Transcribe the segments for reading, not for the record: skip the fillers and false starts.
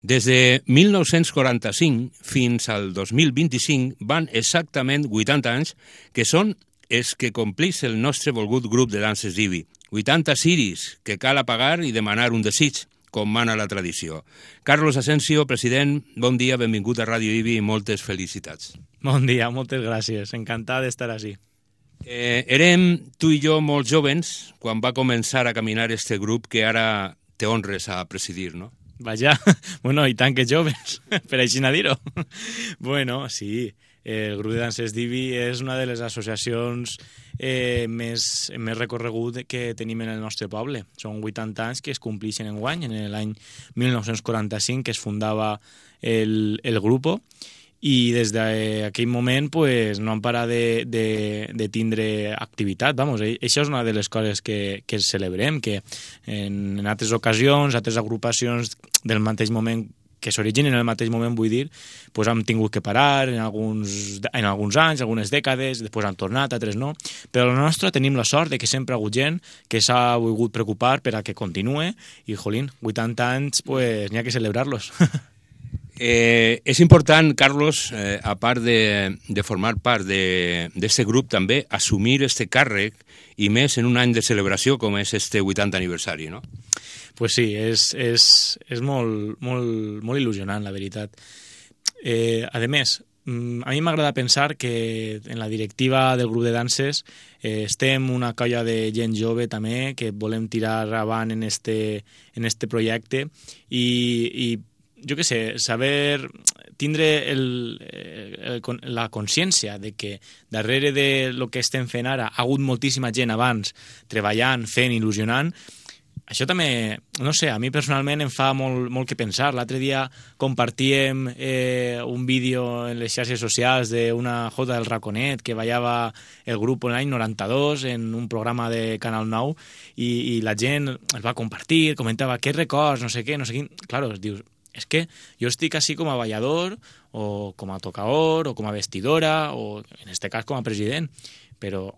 Des de 1945 fins al 2025 van exactament 80 anys, que són els que complís el nostre volgut grup de danses d'Ibi. 80 ciris que cal apagar i demanar un desig, com mana la tradició. Carlos Asensio, president, bon dia, benvingut a Ràdio Ibi i moltes felicitats. Bon dia, moltes gràcies. Encantat d'estar així. Érem tu i jo molt jovens quan va començar a caminar este grup que ara te honres a presidir, no? Vaja, bueno, i tant que joves, per així no dir-ho. Bueno, sí, el grup de danses d'Ibi és una de les associacions més recorregut que tenim en el nostre poble. Són 80 anys que es complixen enguany, en l'any 1945 que es fundava el grupo, i des d'aquell moment pues, no han parat de tindre activitat. Vamos, això és una de les coses que celebrem, que en altres ocasions, altres agrupacions del mateix moment, que s'originen en el mateix moment, vull dir, pues han tingut que parar en alguns anys, algunes dècades, després han tornat, altres no. Però la nostra tenim la sort de que sempre ha hagut gent que s'ha volgut preocupar per a que continue i, jolín, 80 anys, pues n'hi ha que celebrar-los. És important, Carlos, a part de formar part d'aquest grup, també assumir este càrrec, i més en un any de celebració com és este 80 aniversari, no? Pues sí, és molt, molt, molt il·lusionant, la veritat. A més, a mi m'agrada pensar que en la directiva del grup de danses estem una colla de gent jove també que volem tirar avant en este projecte i jo què sé, saber tindre la consciència de que darrere de lo que estem fent ara ha hagut moltíssima gent abans treballant, fent, il·lusionant. Això també, no sé, a mi personalment em fa molt que pensar. L'altre dia compartíem un vídeo en les xarxes socials d'una jota del Raconet que ballava el grup en l'any 92 en un programa de Canal 9 i la gent el va compartir, comentava què records, no sé què, no sé quin. Claro, es dius, és que jo estic així com a ballador o com a tocaor o com a vestidora o en este cas com a president, però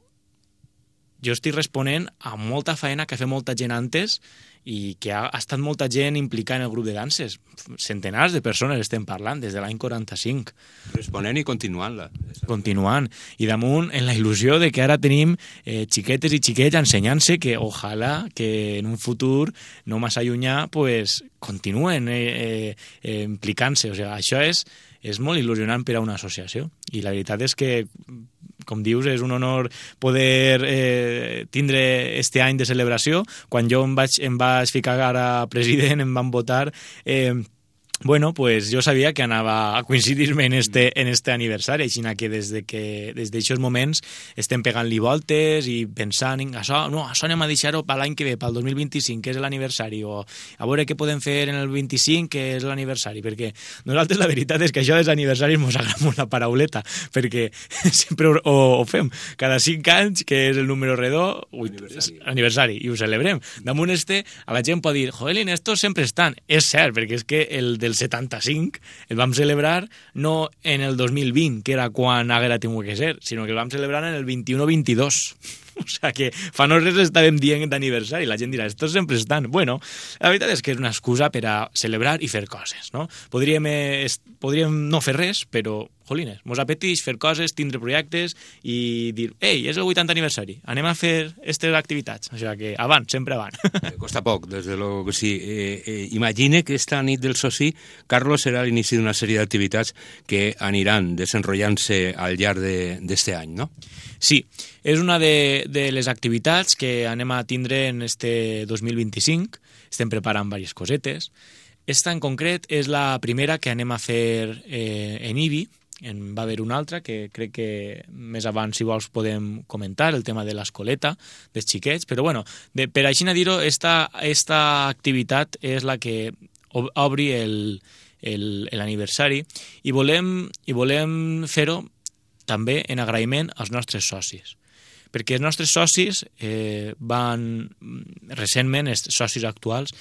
jo estic responent a molta feina que ha fet molta gent antes i que ha estat molta gent implicada en el grup de danses. Centenars de persones estem parlant des de l'any 45. Responent i continuant-la. Continuant. I damunt en la il·lusió de que ara tenim xiquetes i xiquets ensenyant-se que ojalà que en un futur no massa llunyà pues, continuen implicant-se. O sigui, això és molt il·lusionant per a una associació. I la veritat és que com dius, és un honor poder tindre este any de celebració. Quan jo em vaig ficar ara president, em van votar, bueno, pues jo sabia que anava a coincidir-me en este aniversari, així que des d'aixòs moments estem pegant-li voltes i pensant en això anem a deixar-ho per l'any que ve, pel 2025, que és l'aniversari, o a veure què podem fer en el 25, que és l'aniversari, perquè nosaltres la veritat és que això dels aniversaris mos agrada molt la parauleta, perquè sempre ho fem, cada 5 anys, que és el número redó, aniversari, i ho celebrem. Damunt a la gent pot dir, joelín, estos sempre estan. És cert, perquè és que el del 75 el vam celebrar no en el 2020, que era quan haguera tingut que ser, sinó que el vam celebrar en el 21-22. O sigui que fa no res estàvem dient d'aniversari. La gent dirà, estos sempre estan. Bueno, la veritat és que és una excusa per a celebrar i fer coses, no? Podríem no fer res, però, jolines, mos apeteix fer coses, tindre projectes i dir, ei, és el 80 aniversari, anem a fer aquestes activitats. O sigui que avant, sempre avant. Costa poc, des de lo que sí. Imagine que esta nit del soci, Carlos, serà l'inici d'una sèrie d'activitats que aniran desenrotllant-se al llarg d'este any, no? Sí, és una de les activitats que anem a tindre en este 2025. Estem preparant diverses cosetes. Esta en concret és la primera que anem a fer en Ibi. Va haver una altra que crec que més abans, si vols, podem comentar, el tema de l'escoleta dels xiquets. Però bueno, per així dir-ho, esta activitat és la que obri l'aniversari i volem fer-ho també en agraïment als nostres socis. Perquè els nostres socis recentment, els socis actuals,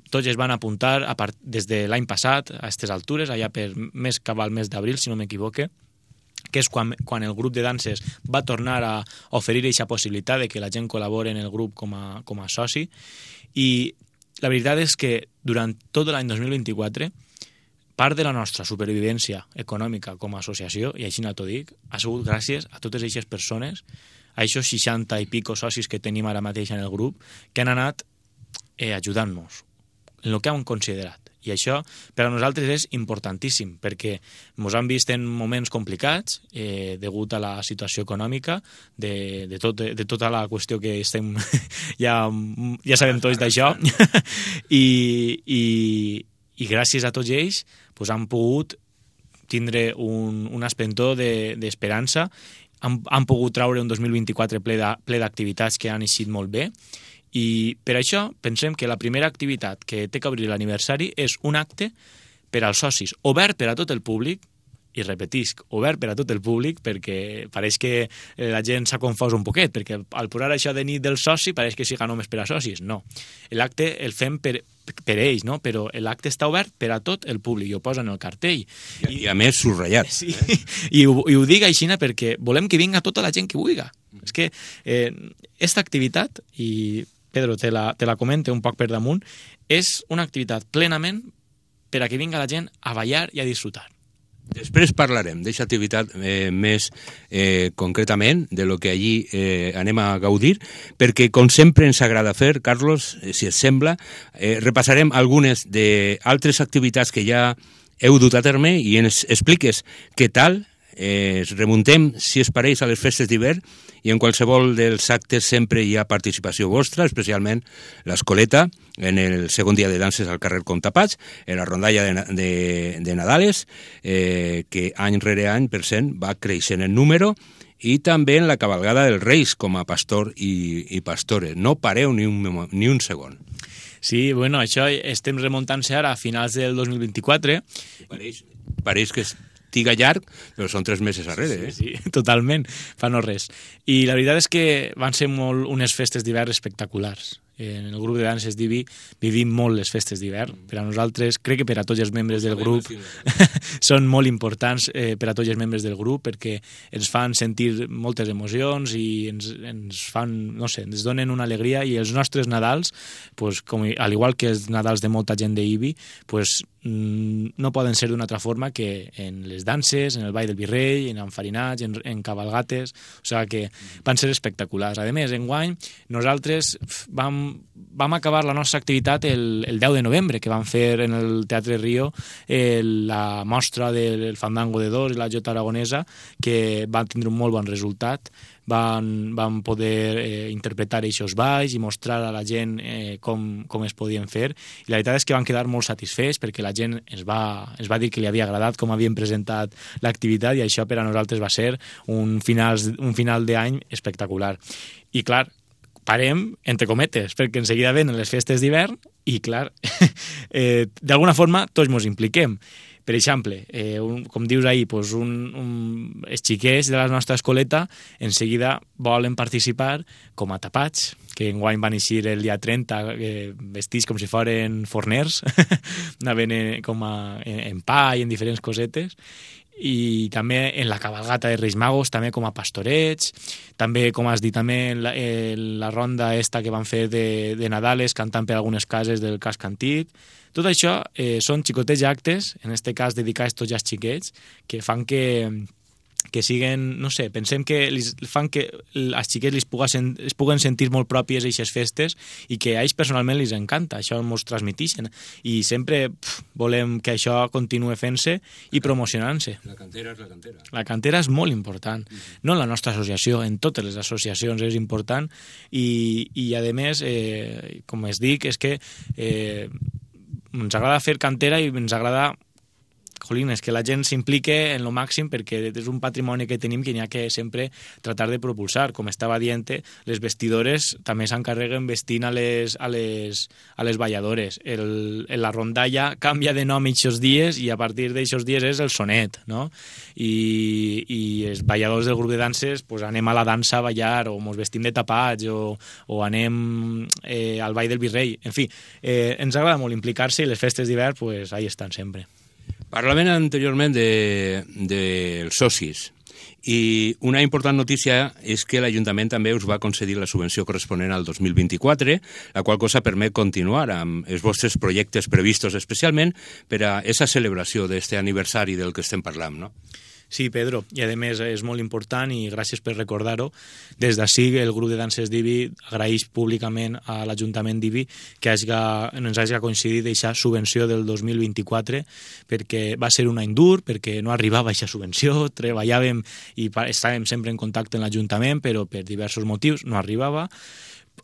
tots es van apuntar des de l'any passat a aquestes altures, allà per cap al mes d'abril, si no m'equivoque, que és quan el grup de danses va tornar a oferir aquesta possibilitat de que la gent col·labori en el grup com a soci. I la veritat és que durant tot l'any 2024 part de la nostra supervivència econòmica com a associació, i així no t'ho dic, ha sigut gràcies a totes aquestes persones, a aquests 60 i pico socis que tenim ara mateix en el grup, que han anat ajudant-nos en el que han considerat. I això per a nosaltres és importantíssim, perquè ens han vist en moments complicats degut a la situació econòmica, de tota la qüestió que estem... ja sabem tots d'això. I gràcies a tots ells han pogut tindre un esplendor d'esperança, han pogut traure un 2024 ple d'activitats que han eixit molt bé. I per això pensem que la primera activitat que té que obrir l'aniversari és un acte per als socis, obert per a tot el públic, i repetisc, obert per a tot el públic, perquè pareix que la gent s'ha confós un poquet, perquè al posar això de nit del soci pareix que siga només per a socis. No, l'acte el fem per ells, no? Però l'acte està obert per a tot el públic, i ho posa en el cartell. I a més subratllat. Sí, i ho dic així perquè volem que vinga tota la gent que vulgui. És que aquesta activitat, i Pedro te la comenta un poc per damunt, és una activitat plenament per a que vinga la gent a ballar i a disfrutar. Després parlarem d'aquesta activitat més concretament, de lo que allí anem a gaudir, perquè, com sempre ens agrada fer, Carlos, si et sembla, repassarem algunes d'altres activitats que ja heu dut a terme i ens expliques què tal. Remuntem, si es pareix, a les festes d'hivern, i en qualsevol dels actes sempre hi ha participació vostra, especialment l'Escoleta, en el segon dia de danses al carrer Comtapats, en la rondalla de Nadales, que any rere any, per cent, va creixent en número, i també en la cabalgada dels Reis com a pastor i pastores. No pareu ni un segon. Sí, bueno, això estem remuntant-se ara a finals del 2024. Pareix que tiga llarg, però són 3 mesos darrere. Sí, totalment, fa no res. I la veritat és que van ser unes festes d'hivern espectaculars. En el grup de danses d'Ibi vivim molt les festes d'hivern. Per a nosaltres, crec que per a tots els membres del grup, són molt importants per a tots els membres del grup, perquè ens fan sentir moltes emocions i ens fan, no sé, ens donen una alegria, i els nostres Nadals, al igual que els Nadals de molta gent d'Ibi, no poden ser d'una altra forma que en les danses, en el ball del Virrei, en enfarinats, en cabalgates, o sigui que van ser espectaculars. A més, enguany, nosaltres vam acabar la nostra activitat el 10 de novembre, que vam fer en el Teatre Rio la mostra del Fandango de Dos i la Jota Aragonesa, que va tindre un molt bon resultat. Van poder interpretar aquests balls i mostrar a la gent com es podien fer, i la veritat és que van quedar molt satisfets perquè la gent ens va dir que li havia agradat com havien presentat l'activitat, i això per a nosaltres va ser un final d'any espectacular. I clar, parem, entre cometes, perquè en seguida venen les festes d'hivern i clar, d'alguna forma tots ens impliquem. Per exemple, com dius ahir, els xiquets de la nostra escoleta en seguida volen participar com a tapats, que enguany van eixir el dia 30 vestits com si foren forners, anaven com en pa i en diferents cosetes, i també en la cabalgata de Reis Magos, també com a pastorets, també, com has dit, també la ronda esta que van fer de Nadales, cantant per algunes cases del casc antic. Tot això són xicotets actes, en aquest cas dedicats tots els xiquets, que fan que siguen, no sé, pensem que fan que els xiquets es puguen sentir molt pròpies aquestes festes, i que a ells personalment els encanta, això ens transmetixen, i sempre volem que això continue fent-se i promocionant-se. La cantera és la cantera. La cantera és molt important, no en la nostra associació, en totes les associacions és important, i a més, com es dic, és que ens agrada fer cantera i ens agrada és que la gent s'implique en lo màxim, perquè és un patrimoni que tenim que n'hi ha que sempre tratar de propulsar. Com estava dient, les vestidores també s'encarreguen vestint a les balladores. La rondalla canvia de nom aquests dies, i a partir d'aquests dies és el sonet, no? I els balladors del grup de danses anem a la dansa a ballar, o ens vestim de tapats, o anem al ball del Virrei. En fi, ens agrada molt implicar-se, i les festes d'hivern ahí estan sempre. Parlaven anteriorment dels socis. I una important notícia és que l'Ajuntament també us va concedir la subvenció corresponent al 2024, la qual cosa permet continuar amb els vostres projectes previstos especialment per a aquesta celebració d'aquest aniversari del que estem parlant, no? Sí, Pedro, i a més és molt important i gràcies per recordar-ho. Des d'ací el grup de danses d'IBI agraeix públicament a l'Ajuntament d'IBI que ens hagi coincidit aquesta subvenció del 2024 perquè va ser un any dur, perquè no arribava aquesta subvenció, treballàvem i estàvem sempre en contacte amb l'Ajuntament, però per diversos motius no arribava.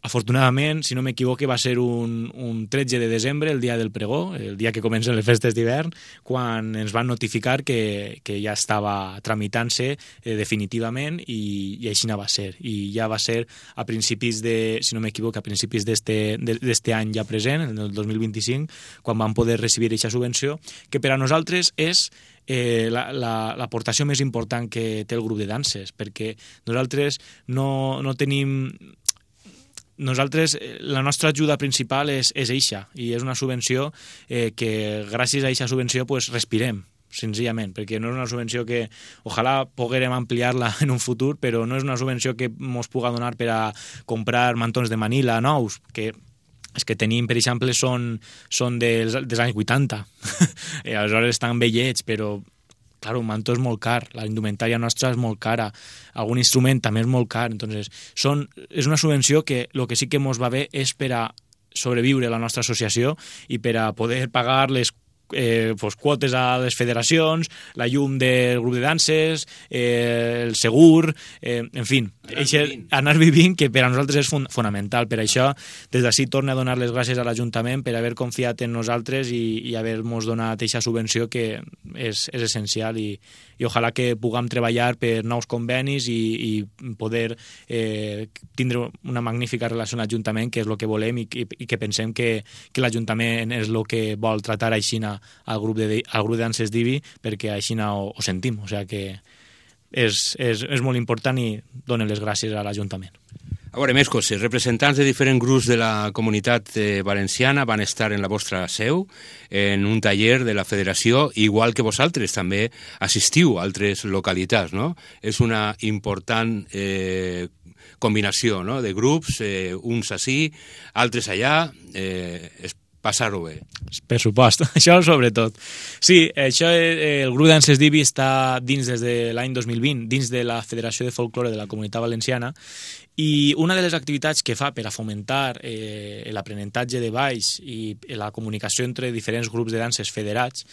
Afortunadament, si no m'equivoque, va ser un 13 de desembre, el dia del pregó, el dia que comencen les festes d'hivern, quan ens van notificar que ja estava tramitant-se definitivament i així va ser. I ja va ser a principis si no m'equivoque, a principis d'este any ja present, el 2025, quan vam poder recibir aquesta subvenció, que per a nosaltres és l'aportació més important que té el grup de danses, perquè nosaltres no tenim... la nostra ajuda principal és eixa, i és una subvenció que gràcies a eixa subvenció pues, respirem, senzillament, perquè no és una subvenció que ojalà poguérem ampliar-la en un futur, però no és una subvenció que ens puga donar per a comprar mantons de Manila nous, que els que tenim, per exemple, són dels anys 80. I aleshores estan vellets, però claro, un mantó és molt car, la indumentària nostra és molt cara, algun instrument també és molt car, entonces és una subvenció que el que sí que ens va bé és per a sobreviure a la nostra associació i per a poder pagar les quotes a les federacions, la llum del grup de danses, el segur, en fi, anar vivint, que per a nosaltres és fonamental. Per això, des d'ací torno a donar les gràcies a l'Ajuntament per haver confiat en nosaltres i haver-nos donat aquesta subvenció que és essencial i ojalà que puguem treballar per nous convenis i poder tindre una magnífica relació amb l'Ajuntament, que és el que volem i que pensem que l'Ajuntament és el que vol tratar així al grup de danses d'IBI, perquè així ho sentim, o sigui que és molt important i donen les gràcies a l'Ajuntament. A veure, més coses. Representants de diferents grups de la comunitat valenciana van estar en la vostra seu en un taller de la federació, igual que vosaltres també assistiu a altres localitats, no? És una important combinació, no?, de grups, uns ací, altres allà, passar-ho bé. Per supost, això sobretot. Sí, això, el grup danses d'IBI està dins des de l'any 2020, dins de la Federació de Folklore de la Comunitat Valenciana, i una de les activitats que fa per a fomentar l'aprenentatge de balls i la comunicació entre diferents grups de danses federats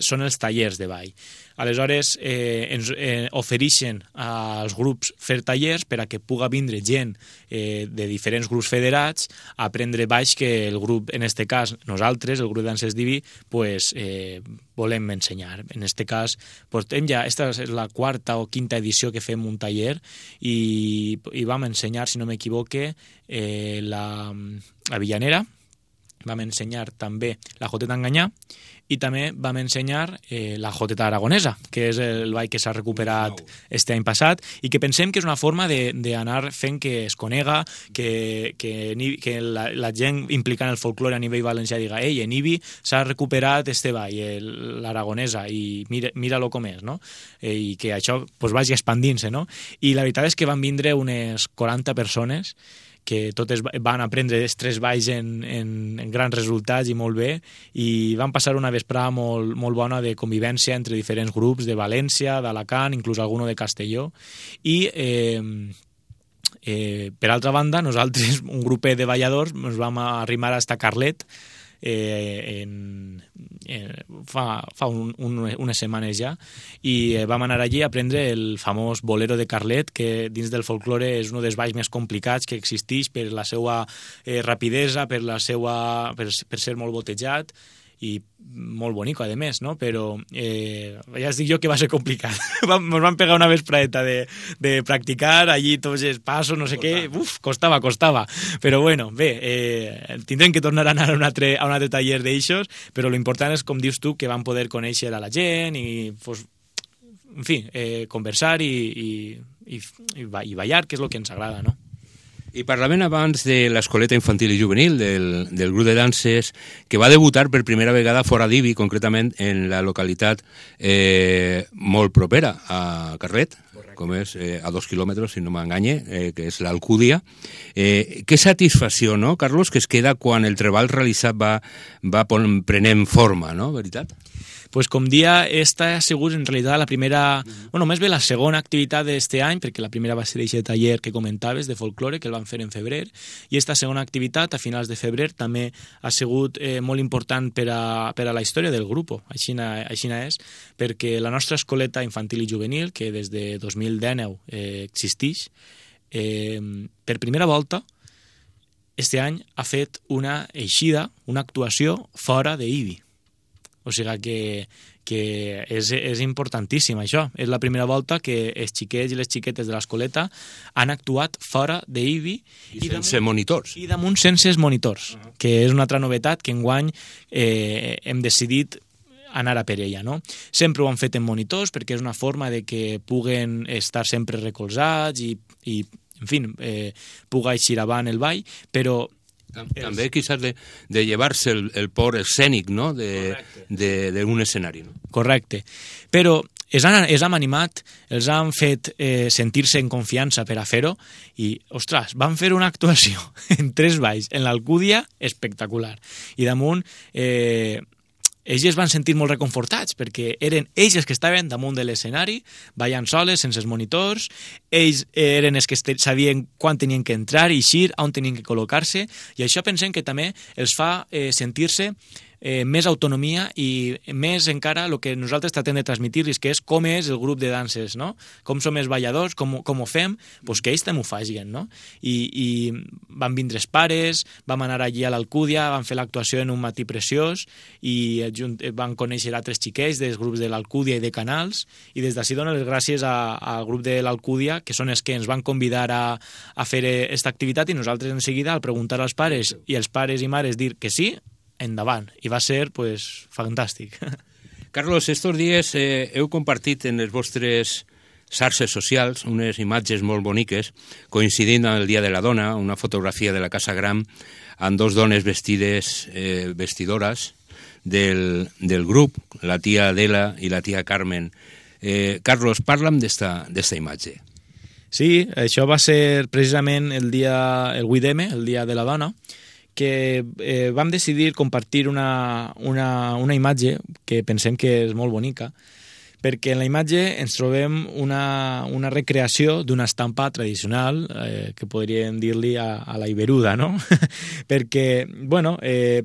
són els tallers de ball. Aleshores, ens ofereixen als grups fer tallers per a que puga vindre gent de diferents grups federats a aprendre balls que el grup, en aquest cas nosaltres, el grup de danses d'IBI, pues, volem ensenyar. En aquest cas, portem ja, esta és la quarta o quinta edició que fem un taller i vam ensenyar, si no m'equivoque, la Villanera, vam ensenyar també la Joteta Enganyà i també vam ensenyar la Joteta Aragonesa, que és el ball que s'ha recuperat este any passat i que pensem que és una forma d'anar fent que es conega, que la gent implicant el folklore a nivell valencià diga ei, en IBI s'ha recuperat este ball, l'Aragonesa, i mira-lo com és, no? I que això pues, vagi expandint-se, no? I la veritat és que van vindre unes 40 persones que totes van aprendre els tres balls en grans resultats i molt bé, i van passar una vesprada molt, molt bona de convivència entre diferents grups de València, d'Alacant, inclús alguno de Castelló, i per altra banda, nosaltres, un grupet de balladors, ens vam arrimar a Carlet fa unes setmanes ja, i vam anar allí a aprendre el famós bolero de Carlet, que dins del folklore és un dels balls més complicats que existeix per la seva rapidesa, per ser molt botejat i molt bonic, a més, no? Però ja es dic jo que va ser complicat. Ens van pegar una vespradeta de practicar allí tots els passos, no sé què, costava. Però bueno, bé, tindrem que tornar a anar a un altre taller d'eixos, però l'important és, com dius tu, que vam poder conèixer a la gent i, pues, en fi, conversar i ballar, que és el que ens agrada, no? I parlaven abans de l'escoleta infantil i juvenil, del grup de danses, que va debutar per primera vegada fora d'Ibi, concretament en la localitat molt propera a Carlet, com és a 2 quilòmetres, si no m'enganye, que és l'Alcúdia. Que satisfacció, no, Carlos, que es queda quan el treball realitzat va prenent forma, no, veritat? Pues com dia, esta ha sigut en realitat la primera, bueno, més bé la segona activitat d'aquest any, perquè la primera va ser aquest taller que comentaves de folklore, que el van fer en febrer, i esta segona activitat, a finals de febrer, també ha sigut molt important per a la història del grup, així és, perquè la nostra escoleta infantil i juvenil, que des de 2019 existeix, per primera volta, este any ha fet una eixida, una actuació fora d'Ibi. O sigui que és importantíssim, això. És la primera volta que els xiquets i les xiquetes de l'escoleta han actuat fora d'Ibi. I sense monitors. I damunt sense monitors, que és una altra novetat que enguany hem decidit anar a per ella, no? Sempre ho han fet en monitors perquè és una forma de que puguen estar sempre recolzats i en fi, puga eixir avant el ball, però també quizás de llevar-se el por escènic, no?, d'un escenari. No? Correcte. Però els han animat, els han fet sentir-se en confiança per a fer-ho i, ostres, van fer una actuació en 3 balls, en l'Alcúdia, espectacular. I damunt ells es van sentir molt reconfortats perquè eren ells els que estaven damunt de l'escenari, ballant soles, sense els monitors, ells eren els que sabien quan tenien que entrar i eixir, on tenien que col·locar-se, i això pensem que també els fa sentir-se més autonomia i més encara el que nosaltres tratem de transmitir-los, que és com és el grup de danses, no? Com som els balladors, com ho fem, doncs que ells també ho facin, no? I van vindre els pares, vam anar allí a l'Alcúdia, van fer l'actuació en un matí preciós i van conèixer altres xiquets dels grups de l'Alcúdia i de Canals, i des d'ací dono les gràcies al grup de l'Alcúdia, que són els que ens van convidar a fer aquesta activitat, i nosaltres en seguida, al preguntar als pares i els pares i mares dir que sí, endavant, i va ser pues, fantàstic. Carlos, estos dies heu compartit en les vostres xarxes socials unes imatges molt boniques coincidint amb el Dia de la Dona, una fotografia de la Casa Gran amb 2 dones vestidores del grup, la tia Adela i la tia Carmen. Carlos, parla'm d'esta imatge. Sí, això va ser precisament el 8M, el Dia de la Dona, que vam decidir compartir una imatge que pensem que és molt bonica, perquè en la imatge ens trobem una recreació d'una estampa tradicional, que podríem dir-li a la Iberuda, no? Perquè, bueno,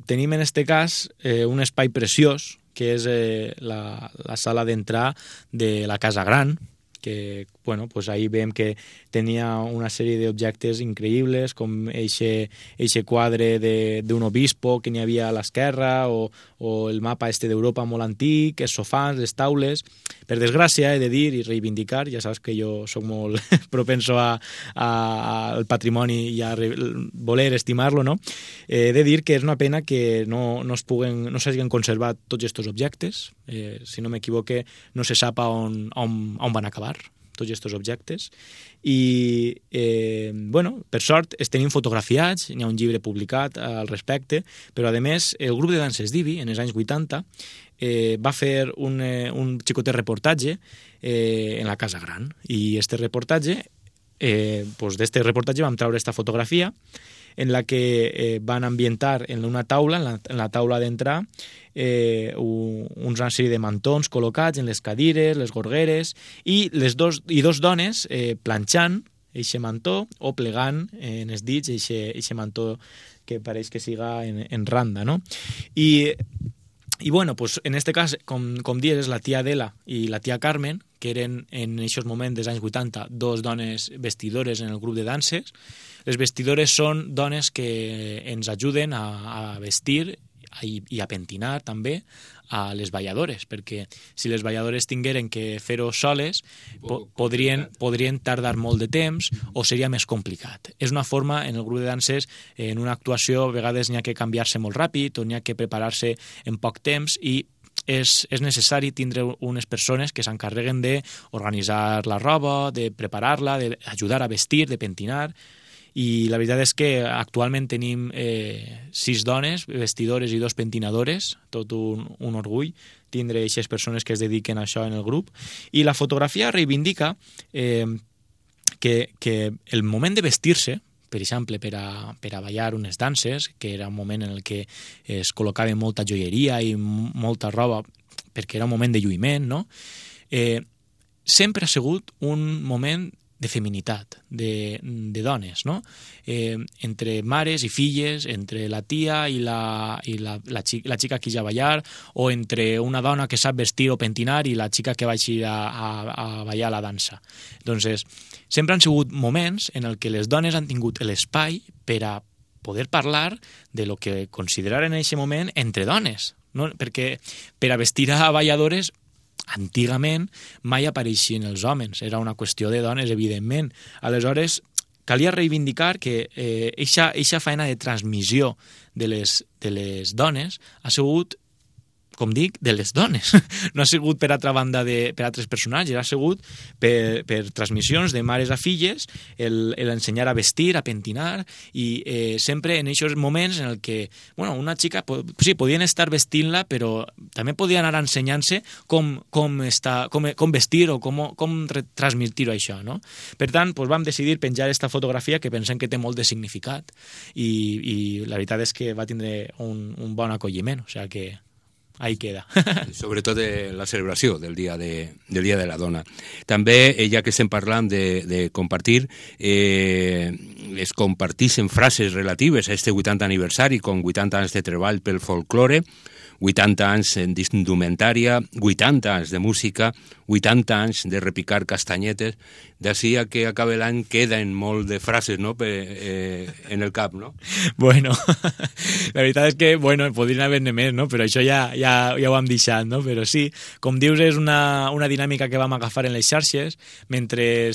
tenim en este cas un espai preciós, que és la sala d'entrar de la Casa Gran, que, bueno, pues ahí veiem que tenia una sèrie d'objectes increïbles, com eixe quadre d'un obispo que n'hi havia a l'esquerra, o el mapa d'Europa molt antic, els sofans, les taules. Per desgràcia, he de dir i reivindicar, ja saps que jo soc molt propenso al patrimoni i a voler estimar-lo, no? He de dir que és una pena que no s'hagin conservat tots aquests objectes. Si no m'equivoque, no se sap on van acabar tots aquests objectes, i bueno, per sort es tenim fotografiats, n'hi ha un llibre publicat al respecte, però a més el grup de danses d'Ibi en els anys 80 va fer un xicotet reportatge en la Casa Gran, i este reportatge, d'este reportatge vam treure esta fotografia en la que van ambientar en una taula, en la taula d'entrar, una sèrie de mantons col·locats en les cadires, les gorgueres, i dos dones planxant eixe mantó o plegant en els dits eixe mantó que pareix que siga en randa, no? I bueno, pues en este cas, com dius, és la tia Adela i la tia Carmen, que eren en aquests moments dels anys 80 2 dones vestidores en el grup de danses. Les vestidores són dones que ens ajuden a vestir i a pentinar també a les balladores, perquè si les balladores tingueren que fer-ho soles podrien tardar molt de temps o seria més complicat. És una forma, en el grup de danses, en una actuació a vegades n'hi ha que canviar-se molt ràpid o n'hi ha que preparar-se en poc temps, i és necessari tindre unes persones que s'encarreguen d'organitzar la roba, de preparar-la, d'ajudar a vestir, de pentinar. i la veritat és que actualment tenim 6 dones, vestidores i 2 pentinadores, tot un orgull tindre aquestes persones que es dediquen a això en el grup, i la fotografia reivindica que el moment de vestir-se, per exemple, per a ballar unes danses, que era un moment en el que es col·locava molta joieria i molta roba, perquè era un moment de lluïment, no? Sempre ha sigut un moment de feminitat, de dones, no? Entre mares i filles, entre la tia i la xica que ja ballar, o entre una dona que sap vestir o pentinar i la xica que va ir a ballar la dansa. Doncs sempre han sigut moments en el que les dones han tingut l'espai per a poder parlar de lo que consideraren en aquest moment entre dones, no? Perquè per a vestir a balladores antigament mai apareixien els homes, era una qüestió de dones, evidentment. Aleshores, calia reivindicar que eixa feina de transmissió de les dones ha sigut, com dic, de les dones. No ha sigut per altra banda per altres personatges, ha sigut per transmissions de mares a filles, l'ensenyar a vestir, a pentinar, i sempre en aquests moments en el que una xica, sí, podien estar vestint-la, però també podien anar ensenyant-se com vestir o com transmitir-ho això, no? Per tant, vam decidir penjar aquesta fotografia que pensem que té molt de significat i la veritat és que va tindre un bon acolliment, o sigui que ahí queda. Sobretot la celebració del Dia de la Dona. També, ja que estem parlant de compartir, es compartixen frases relatives a este 80 aniversari, com 80 anys de treball pel folklore, 80 anys d'indumentària, 80 anys de música, 80 anys de repicar castanyetes. D'ací a que acabe l'any queden molt de frases, no?, en el cap, no? Bueno, la veritat és que, podrien haver-ne més, no?, però això ja ho hem deixat, no? Però sí, com dius, és una dinàmica que vam agafar en les xarxes mentre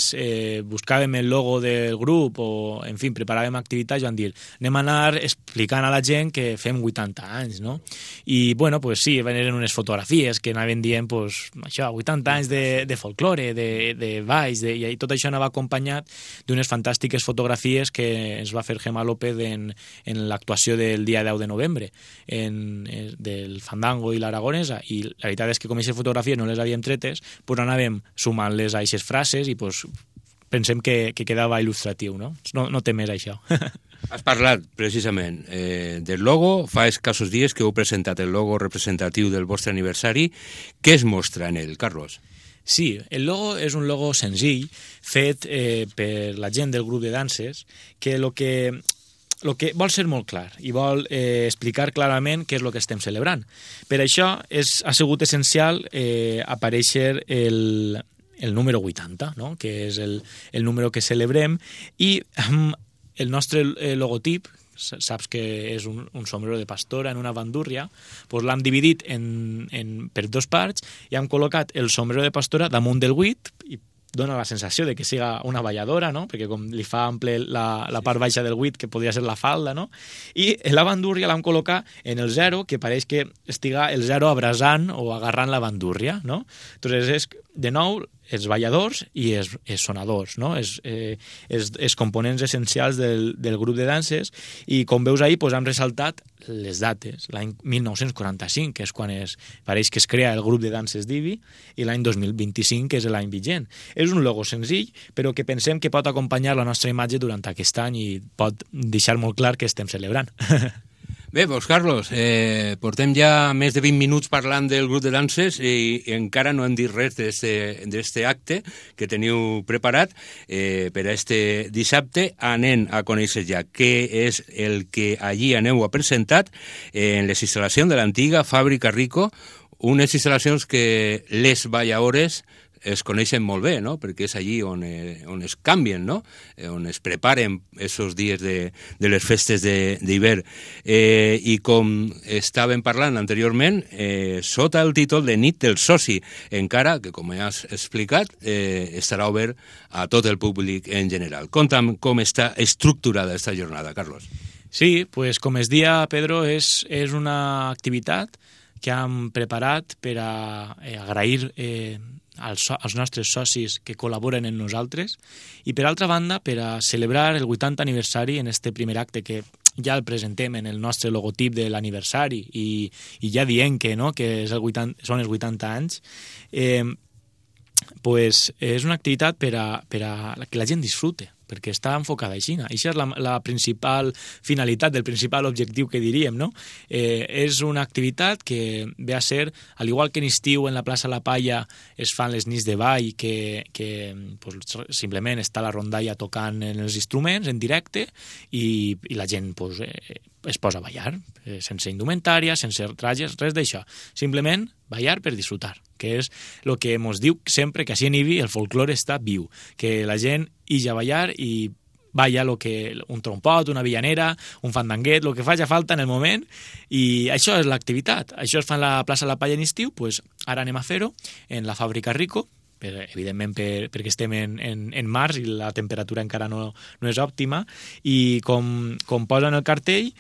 buscàvem el logo del grup o, en fi, preparàvem activitats, vam dir, anem a anar explicant a la gent que fem 80 anys, no? I, sí, venen unes fotografies que anaven dient, això, 80 anys de folklore, de balls, i tot això anava acompanyat d'unes fantàstiques fotografies que ens va fer Gemma López en l'actuació del dia 10 de novembre del Fandango i l'Aragonesa, i la veritat és que com aquestes fotografies no les havíem tretes, anàvem sumant-les a aquestes frases i pensem que quedava il·lustratiu, no? No té més això. Has parlat, precisament, del logo. Fa escassos dies que heu presentat el logo representatiu del vostre aniversari. Què es mostra en ell, Carlos? Sí, el logo és un logo senzill, fet per la gent del grup de danses, que el que vol ser molt clar i vol explicar clarament què és el que estem celebrant. Per això ha sigut essencial aparèixer el número 80, no?, que és el número que celebrem, i el nostre logotip, saps que és un sombrero de pastora en una bandúrria, l'hem dividit per 2 parts i hem col·locat el sombrero de pastora damunt del 8 i dona la sensació de que siga una balladora, no?, perquè com li fa ample la part baixa del 8, que podria ser la falda, no?, i la bandúrria l'hem col·locat en el 0, que pareix que estiga el 0 abrasant o agarrant la bandúrria, no? Entonces és, de nou, els balladors i els sonadors, no? Els components essencials del grup de danses, i com veus ahir hem ressaltat les dates, l'any 1945, que és quan pareix que es crea el grup de danses d'Ibi, i l'any 2025, que és l'any vigent. És un logo senzill, però que pensem que pot acompanyar la nostra imatge durant aquest any i pot deixar molt clar que estem celebrant. Bé, Carlos, portem ja més de 20 minuts parlant del grup de danses i encara no hem dit res d'aquest acte que teniu preparat per a este dissabte. Anem a conèixer ja què és el que allí aneu a presentar en les instal·lacions de l'antiga Fàbrica Rico, unes instal·lacions que les balladores es coneixen molt bé, no?, perquè és allí on es canvien, no?, on es preparen aquests dies de les festes d'hivern. I com estàvem parlant anteriorment, sota el títol de Nit del Soci, encara que, com has explicat, estarà obert a tot el públic en general. Conta'm com està estructurada aquesta jornada, Carlos. Sí, pues com es dia, Pedro, és una activitat que hem preparat per a agrair als nostres socis que col·laboren en nosaltres, i per altra banda, per a celebrar el 80 aniversari en este primer acte que ja el presentem en el nostre logotip de l'aniversari i ja dient que, no, que és són els 80 anys, pues és una activitat per a que la gent disfrute, perquè està enfocada així. Això és la principal finalitat, el principal objectiu que diríem, no? És una activitat que ve a ser, al igual que en estiu en la plaça La Palla es fan les nits de ball, que pues, simplement està la rondalla tocant en els instruments en directe i la gent pues, es posa a ballar, sense indumentària, sense trajes, res d'això. Simplement ballar per disfrutar, que és el que ens diu sempre que així en Ibi el folclore està viu, que la gent ix a ballar i balla un trompot, una villanera, un fandanguet, el que faci falta en el moment, i això és l'activitat. Això es fa en la plaça La Palla en estiu, pues ara anem a fer-ho en la fàbrica Rico, evidentment perquè estem en març i la temperatura encara no és òptima, i com posen el cartell,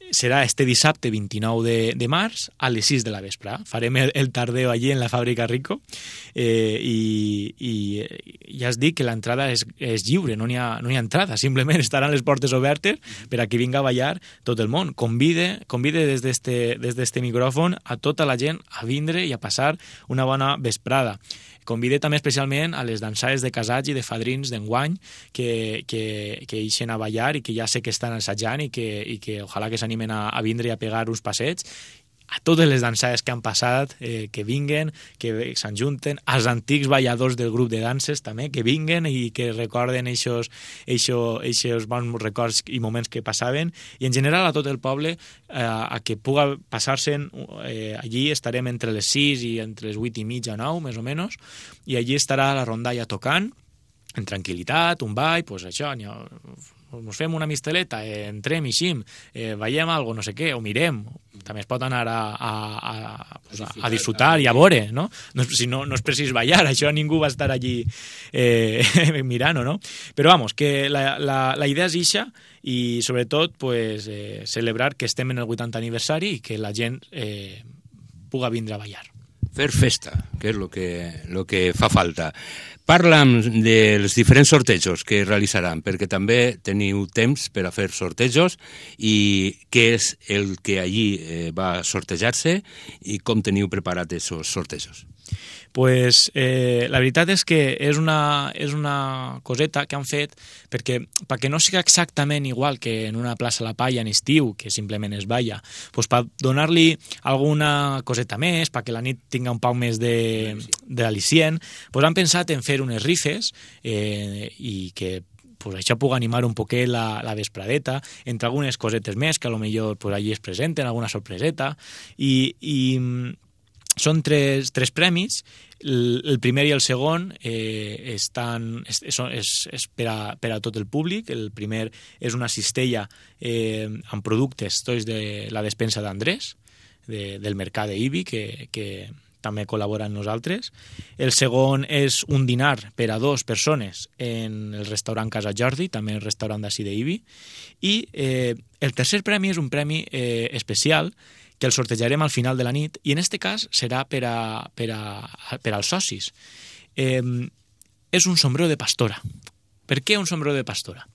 serà este dissabte 29 de març a les 6 de la vespre. Farem el tardeo allí en la fàbrica Rico i ja es dic que l'entrada és lliure, no n'hi ha entrada, simplement estaran les portes obertes per a qui vinga a ballar tot el món. Convide des d'este micròfon a tota la gent a vindre i a passar una bona vesprada. Convide també especialment a les dansades de casats i de fadrins d'enguany que ixen a ballar i que ja sé que estan assajant i que ojalà que s'animen a vindre i a pegar uns passets. A totes les dansades que han passat, que vinguen, que s'enjunten, als antics balladors del grup de danses també, que vinguen i que recorden eixos bons records i moments que passaven, i en general a tot el poble a que puga passar-se'n. Allí estarem entre les 6 i entre les 8 i mitja, 9, més o menys, i allí estarà la rondalla tocant, en tranquil·litat, un ball, pues això, ens fem una misteleta, entrem i eixim, veiem alguna cosa, no sé què, o mirem. També es pot anar a disfrutar i a veure, no? Si no és precís ballar, això ningú va estar allí mirant-ho, no? Però vamos, que la idea és ixa i sobretot pues, celebrar que estem en el 80 aniversari i que la gent puga vindre a ballar. Fer festa, que és el que fa falta. Parla'm dels diferents sortejos que realitzaran, perquè també teniu temps per a fer sortejos i què és el que allí va sortejar-se i com teniu preparat aquests sortejos. Pues la veritat és que és una coseta que han fet perquè no sigui exactament igual que en una plaça La Palla en estiu, que simplement es balla, pues per donar-li alguna coseta més, perquè la nit tinga un poc més d'al·licient, pues han pensat en fer unes rifes i que pues això pugui animar un poquet la vespradeta, entre algunes cosetes més que potser pues, allí es presenten, alguna sorpreseta, i són tres premis. El primer i el segon és per a tot el públic. El primer és una cistella amb productes tots de la despensa d'Andrés, del mercat d'Ibi, que també col·labora amb nosaltres. El segon és un dinar per a 2 persones en el restaurant Casa Jordi, també el restaurant d'ací d'Ibi. I el tercer premi és un premi especial que el sortejarem al final de la nit, i en aquest cas serà per als socis. És un sombrero de pastora. Per què un sombrero de pastora?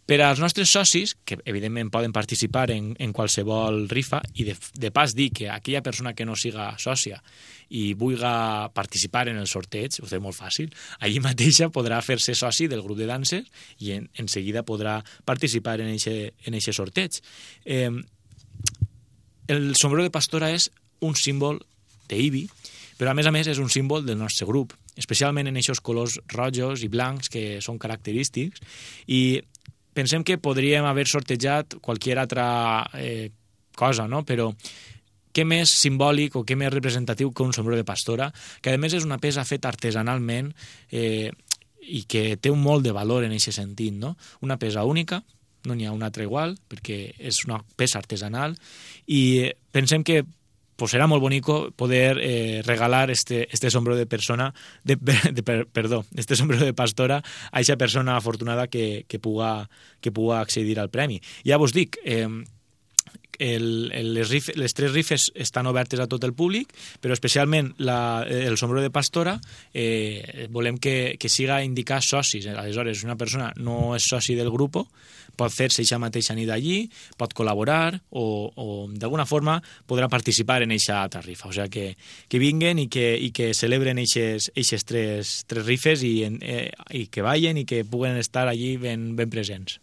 Per als nostres socis, que evidentment poden participar en qualsevol rifa, i de pas dir que aquella persona que no siga sòcia i vulgui participar en el sorteig, ho té molt fàcil, allí mateixa podrà fer-se soci del grup de danses i en seguida podrà participar en aquest sorteig. El sombrero de pastora és un símbol d'Ibi, però a més és un símbol del nostre grup, especialment en aquests colors rojos i blancs que són característics, i pensem que podríem haver sortejat qualsevol altra cosa, no? Però què més simbòlic o què més representatiu que un sombrero de pastora, que a més és una peça feta artesanalment i que té un molt de valor en aquest sentit, no? Una peça única, no n'hi ha una altra igual, perquè és una peça artesanal, i pensem que pues serà molt bonico poder regalar este sombrero de persona, este sombrero de pastora a aquesta persona afortunada que puga accedir al premi. Ja vos dic, les tres rifes estan obertes a tot el públic, però especialment el sombrero de pastora volem que siga indicar socis. Aleshores, una persona no és soci del grup, pot fer-se eixa mateixa nit allí, pot col·laborar o d'alguna forma podrà participar en eixa altra rifa. O sigui, que vinguen i que celebren eixes tres rifes i que ballen i que puguen estar allí ben presents.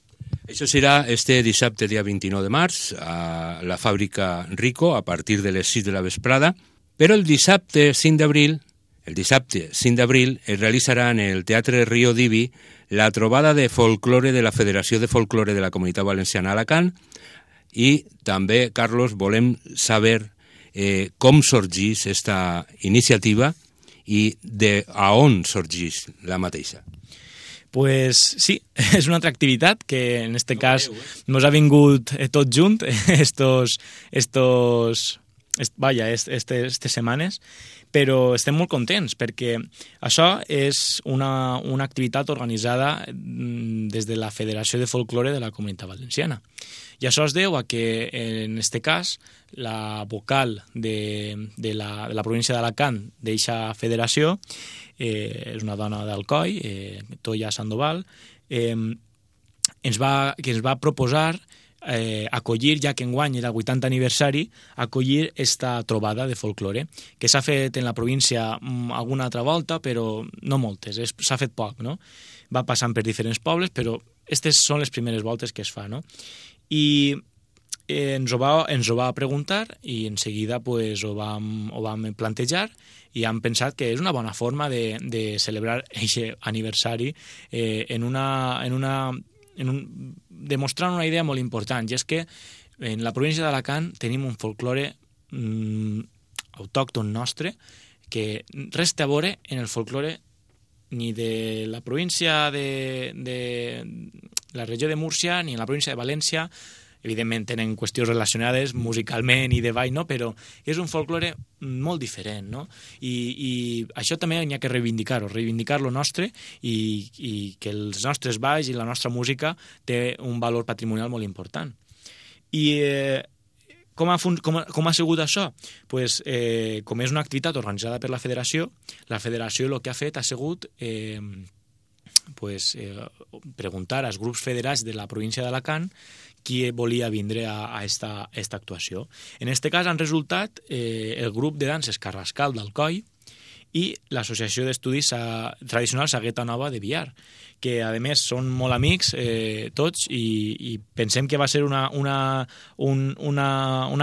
Això serà este dissabte, dia 29 de març, a la fàbrica Rico, a partir de les 6 de la vesprada, però el dissabte 5 d'abril es realitzarà en el Teatre Río d'Ibi la trobada de folklore de la Federació de Folklore de la Comunitat Valenciana Alacant i també, Carlos, volem saber com sorgeix esta iniciativa i a on sorgeix la mateixa. Pues sí, és una altra activitat que en este cas nos ha vingut tot junt estes setmanes, però estem molt contents perquè això és una activitat organitzada des de la Federació de Folklore de la Comunitat Valenciana. I això es deu a que, en este cas, la vocal de la província d'Alacant d'eixa federació és una dona d'Alcoi, Toya Sandoval, que ens va proposar acollir, ja que enguany era el 80 aniversari, acollir esta trobada de folklore, que s'ha fet en la província alguna altra volta, però no moltes, s'ha fet poc, no? Va passant per diferents pobles, però aquestes són les primeres voltes que es fa, no? I ens ho va preguntar i en seguida pues, ho vam plantejar i hem pensat que és una bona forma de celebrar aquest aniversari demostrant una idea molt important, i és que en la província d'Alacant tenim un folklore autòcton nostre que res té a veure en el folklore ni de la província de la regió de Múrcia ni en la província de València. Evidentment tenen qüestions relacionades musicalment i de ball, no? Però és un folklore molt diferent, no? I això també n'hi ha que reivindicar lo nostre i que els nostres balls i la nostra música té un valor patrimonial molt important. I com ha sigut això? Pues, com és una activitat organitzada per la federació el que ha fet ha sigut preguntar als grups federats de la província d'Alacant qui volia vindre a esta actuació. En aquest cas han resultat el grup de danses Carrascal d'Alcoi i l'Associació d'Estudis Tradicionals Sagueta Nova de Biar, que a més són molt amics tots i pensem que va ser una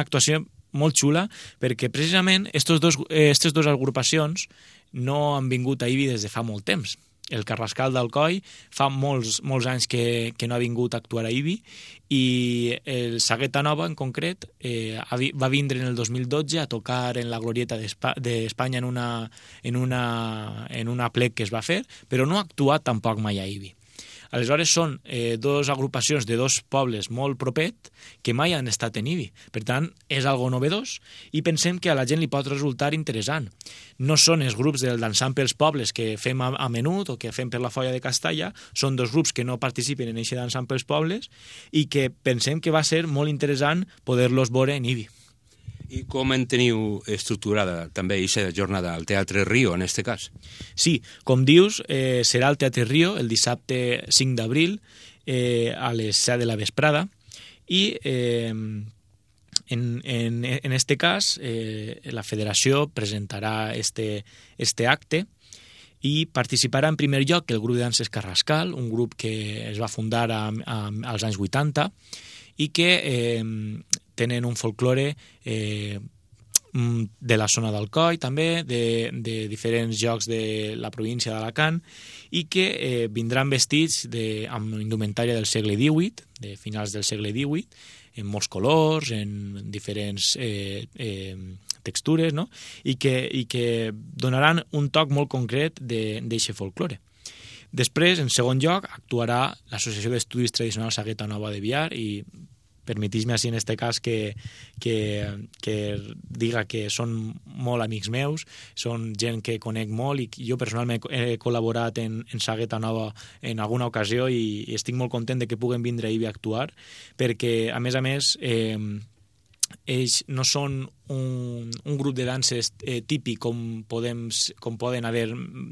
actuació molt xula perquè precisament aquestes dues agrupacions no han vingut a Ibi des de fa molt temps. El Carrascal d'Alcoi fa molts anys que no ha vingut a actuar a Ibi i el Sagueta Nova en concret va vindre en el 2012 a tocar en la Glorieta d'Espanya en una plec que es va fer, però no ha actuat tampoc mai a Ibi. Aleshores són dues agrupacions de dos pobles molt propets que mai han estat en Ibi. Per tant, és algo novedós i pensem que a la gent li pot resultar interessant. No són els grups del dansant pels pobles que fem a menut o que fem per la Folla de Castalla, són dos grups que no participen en aquest dansant pels pobles i que pensem que va ser molt interessant poder-los veure en Ibi. I com en teniu estructurada també aquesta jornada al Teatre Río, en aquest cas? Sí, com dius, serà al Teatre Río el dissabte 5 d'abril a les 7 de la vesprada i en este cas la federació presentarà este acte i participarà en primer lloc el grup de danses Carrascal, un grup que es va fundar als anys 80 i que tenen un folklore de la zona d'Alcoi també, de diferents llocs de la província d'Alacant i que vindran vestits amb indumentària del segle XVIII, de finals del segle XVIII, en molts colors, en diferents textures, no? I que donaran un toc molt concret d'aquest folklore. Després, en segon lloc, actuarà l'Associació d'Estudis Tradicionals Sagueta Nova de Biar i permetís-me així en aquest cas que diga que són molt amics meus, són gent que conec molt i jo personalment he col·laborat en Sagueta Nova en alguna ocasió i estic molt content de que puguen vindre a Ibi a actuar perquè, a més, ells no són un grup de danses típic com poden haver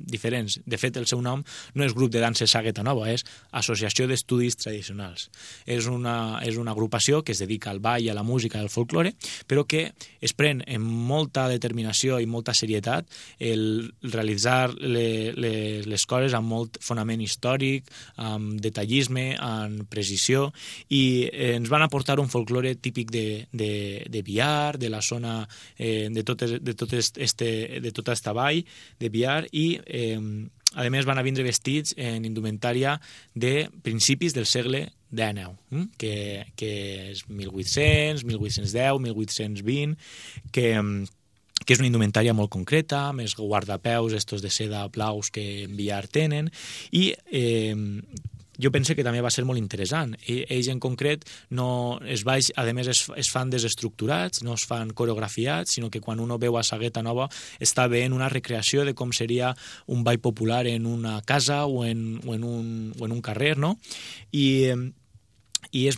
diferents. De fet, el seu nom no és grup de danses Sagueta Nova, és Associació d'Estudis Tradicionals. És una agrupació que es dedica al ball, a la música i al folklore, però que es pren amb molta determinació i molta serietat el realitzar les coses amb molt fonament històric, amb detallisme, amb precisió, i ens van aportar un folklore típic de Biar, de la zona de tota esta vall de Biar, i a més van a vindre vestits en indumentària de principis del segle XIX, que és 1800, 1810, 1820, que és una indumentària molt concreta, més guardapeus, estos de seda blaus que en Biar tenen, i jo penso que també va ser molt interessant. Ells en concret, a més es fan desestructurats, no es fan coreografiats, sinó que quan uno veu a Sagueta Nova està veient una recreació de com seria un ball popular en una casa o en un carrer, no? I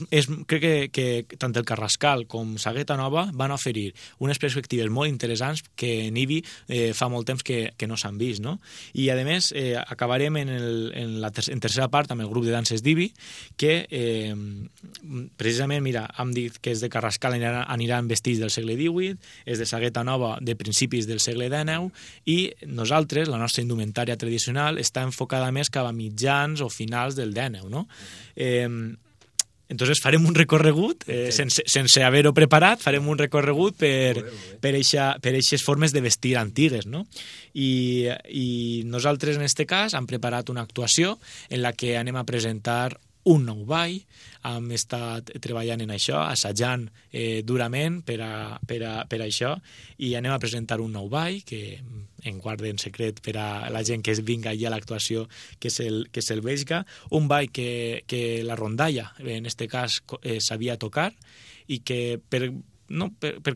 crec que tant el Carrascal com Sagueta Nova van oferir unes perspectives molt interessants que en IBI fa molt temps que no s'han vist, no? I a més acabarem en tercera part amb el grup de danses d'IBI, que precisament, mira, hem dit que és de Carrascal, aniran vestits del segle XVIII, és de Sagueta Nova de principis del segle XIX, i nosaltres, la nostra indumentària tradicional, està enfocada més cap a mitjans o finals del XIX, no? Entonces farem un recorregut, sense haver-ho preparat, farem un recorregut per eixes formes de vestir antigues, no? I nosaltres, en aquest cas, hem preparat una actuació en la que anem a presentar un nou ball. Hem estat treballant en això, assajant durament per a això, i anem a presentar un nou ball que en guarden secret per a la gent que vinga allà a l'actuació, que se'l vegi. Un ball que la rondalla, en aquest cas, sabia tocar, i que per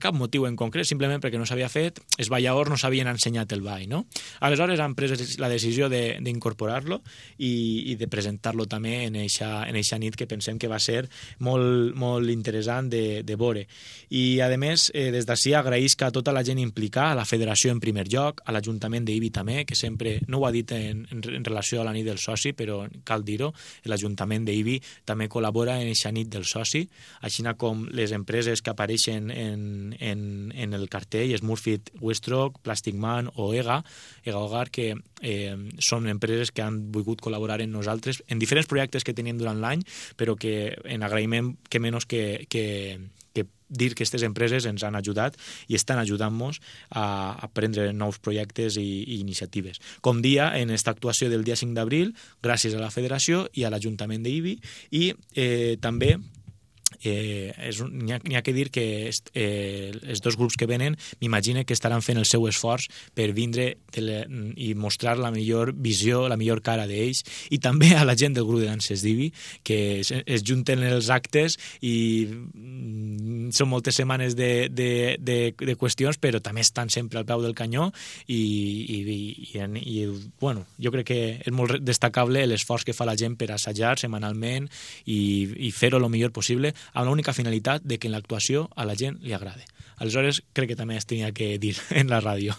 cap motiu en concret, simplement perquè no s'havia fet, els balladors no s'havien ensenyat el ball, no? Aleshores han pres la decisió d'incorporar-lo i de presentar-lo també en eixa nit, que pensem que va ser molt, molt interessant de veure. I a més, des d'ací agraïsc a tota la gent implicada, a la federació en primer lloc, a l'Ajuntament d'Ibi també, que sempre, no ho ha dit en relació a la nit del soci, però cal dir-ho, l'Ajuntament d'Ibi també col·labora en eixa nit del soci, així com les empreses que apareixen en el cartell, Smurfit Westrock, Plastic Man o EGA Hogar, que són empreses que han volgut col·laborar amb nosaltres en diferents projectes que tenim durant l'any, però que en agraïment que menys que dir que aquestes empreses ens han ajudat i estan ajudant-nos a prendre nous projectes i iniciatives. Com dia, en aquesta actuació del dia 5 d'abril, gràcies a la Federació i a l'Ajuntament d'Ibi, i també n'hi ha que dir que els dos grups que venen m'imagino que estaran fent el seu esforç per vindre i mostrar la millor visió, la millor cara d'ells, i també a la gent del grup de danses d'Ibi, que es junten els actes i són moltes setmanes de qüestions, però també estan sempre al peu del canyó, i bueno, jo crec que és molt destacable l'esforç que fa la gent per assajar setmanalment i fer-ho el millor possible, amb l'única finalitat de que en l'actuació a la gent li agrade. Aleshores, crec que també es tenia que dir en la ràdio.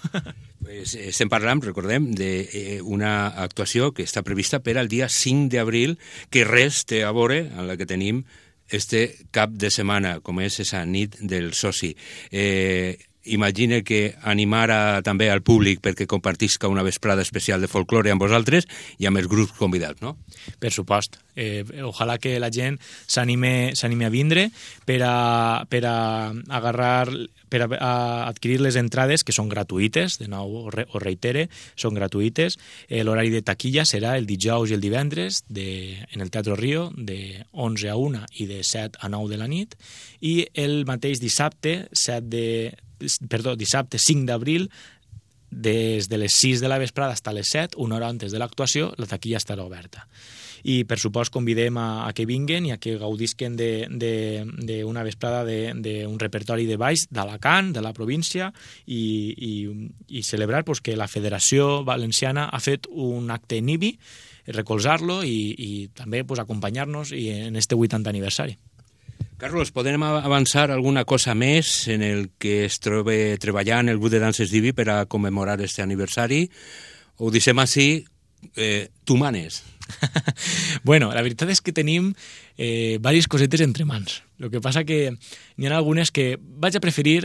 Pues estem parlant, recordem, d'una actuació que està prevista per al dia 5 d'abril, que res té a veure amb la que tenim este cap de setmana, com és esa nit del soci. Imagine que animara també al públic perquè compartisca una vesprada especial de folklore amb vosaltres i amb els grups convidats, no? Per supost. Ojalà que la gent s'anime a vindre per a adquirir les entrades, que són gratuïtes, de nou ho reitere, són gratuïtes. L'horari de taquilla serà el dijous i el divendres en el Teatre Rio, de 11 a 1 i de 7 a 9 de la nit, i el mateix dissabte 5 d'abril, des de les 6 de la vesprada fins a les 7, una hora antes de l'actuació, la taquilla estarà oberta. I, per supost, convidem a que vinguen i a que gaudisquen d'una vesprada d'un repertori de balls d'Alacant, de la província, i celebrar que la Federació Valenciana ha fet un acte en IBI, recolzar-lo i també acompanyar-nos en este 80 aniversari. Carlos, podem avançar alguna cosa més en el que es troba treballant el grup de danses Divi per a commemorar este aniversari? Ho deixem així, tu manes. Bueno, la veritat és que tenim diverses cosetes entre mans. El que passa que n'hi ha algunes que vaig a preferir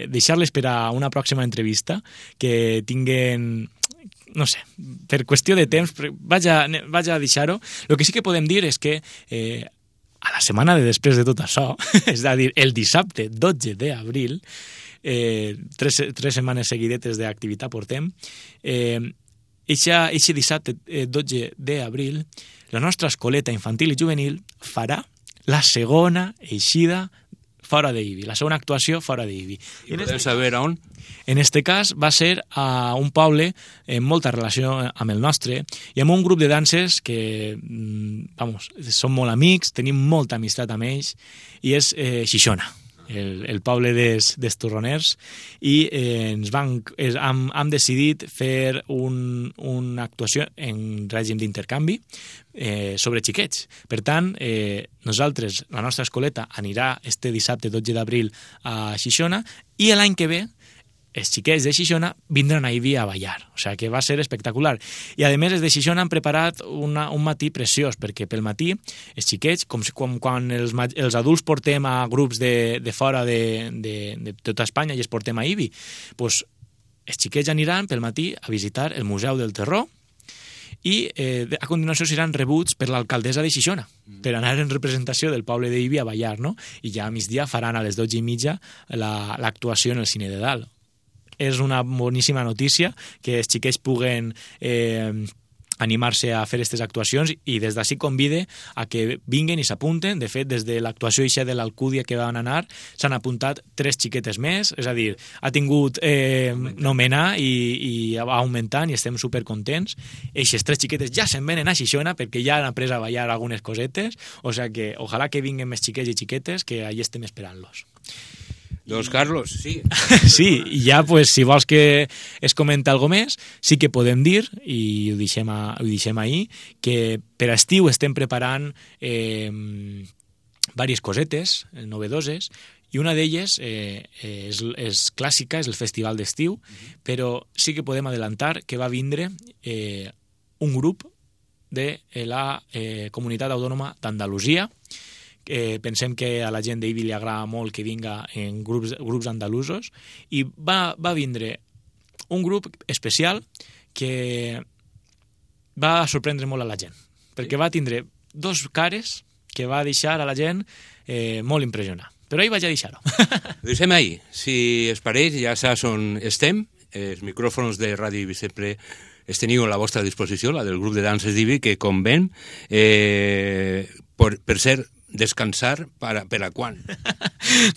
deixar-les per a una pròxima entrevista, que tinguen, no sé, per qüestió de temps, vaig a deixar-ho. El que sí que podem dir és que a la setmana de després de tot això, és a dir, el dissabte 12 d'abril, tres setmanes seguidetes d'activitat portem, eixe dissabte 12 d'abril, la nostra escoleta infantil i juvenil farà la segona eixida fora d'Ibi, la segona actuació fora d'Ibi. I podem saber on? En este cas va ser a un poble amb molta relació amb el nostre i amb un grup de danses que, vamos, som molt amics, tenim molta amistat amb ells, i és Xixona, el poble dels torroners, i hem decidit fer una actuació en règim d'intercanvi sobre xiquets. Per tant, nosaltres, la nostra escoleta, anirà este dissabte 12 d'abril a Xixona, i l'any que ve els xiquets de Xixona vindran a Ibi a ballar, o sigui que va ser espectacular. I a més, els de Xixona han preparat un matí preciós, perquè pel matí els xiquets, com quan els adults portem a grups de fora de tota Espanya i els portem a Ibi, doncs els xiquets aniran pel matí a visitar el Museu del Terror, i a continuació seran rebuts per l'alcaldessa de Xixona, per anar en representació del poble d'Ibi a ballar, no? I ja a migdia faran a les 12:30 l'actuació en el Cine de Dalt. És una boníssima notícia que els xiquets puguen animar-se a fer aquestes actuacions, i des d'ací convide a que vinguen i s'apunten. De fet, des de l'actuació eixa de l'Alcúdia que van anar, s'han apuntat 3 xiquetes més, és a dir, ha tingut nomenar i va augmentant, i estem supercontents. Eixes 3 xiquetes ja se'n venen a Xixona perquè ja han après a ballar algunes cosetes, o sigui que ojalà que vinguen més xiquets i xiquetes, que allà estem esperant-los. Doncs, Carlos, sí. Sí, i ja, pues, si vols que es comenta alguna més, sí que podem dir, i ho deixem ahir, que per estiu estem preparant diverses cosetes novedoses, i una d'elles és clàssica, és el Festival d'Estiu, però sí que podem adelantar que va vindre un grup de la Comunitat Autònoma d'Andalusia. Pensem que a la gent d'Ibi li agrada molt que vinga en grups andalusos, i va vindre un grup especial que va sorprendre molt a la gent, perquè va tindre 2 cares que va deixar a la gent molt impressionat. Però ahir vaig a deixar-ho. Ho deixem ahir. Si es pareix, ja saps on estem. Els micròfons de Ràdio Ibi sempre els teniu a la vostra disposició, la del grup de danses d'Ibi, que com ven, per ser descansar per a quan?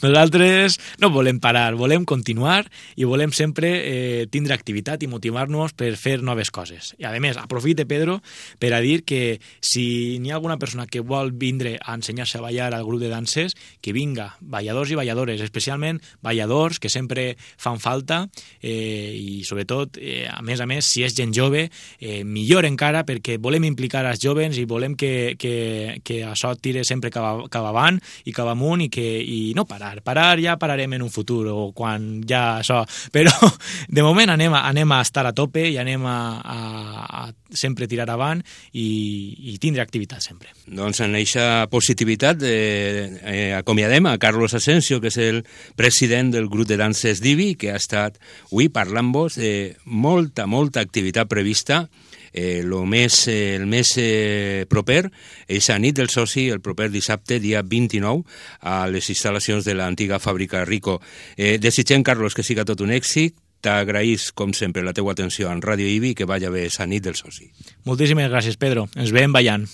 Nosaltres no volem parar, volem continuar i volem sempre tindre activitat i motivar-nos per fer noves coses. I a més, aprofite, Pedro, per a dir que si n'hi ha alguna persona que vol vindre a ensenyar-se a ballar al grup de danses, que vinga, balladors i balladores, especialment balladors, que sempre fan falta, i sobretot, a més, si és gent jove, millor encara, perquè volem implicar els joves i volem que això tire sempre cap avant i cap amunt, i no parar ja pararem en un futur o quan ja això, però de moment anem a estar a tope i anem a sempre tirar avant i tindre activitat sempre. Doncs en aquesta positivitat acomiadem a Carlos Asensio, que és el president del grup de danses d'Ibi, que ha estat avui parlant-vos de molta activitat prevista. El més proper és a nit del soci, el proper dissabte, dia 29, a les instal·lacions de l'antiga fàbrica Rico. Desitgem, Carlos, que siga tot un èxit. T'agraïs, com sempre, la teua atenció en Ràdio Ibi, que vaya bé a nit del soci. Moltíssimes gràcies, Pedro. Ens veiem ballant.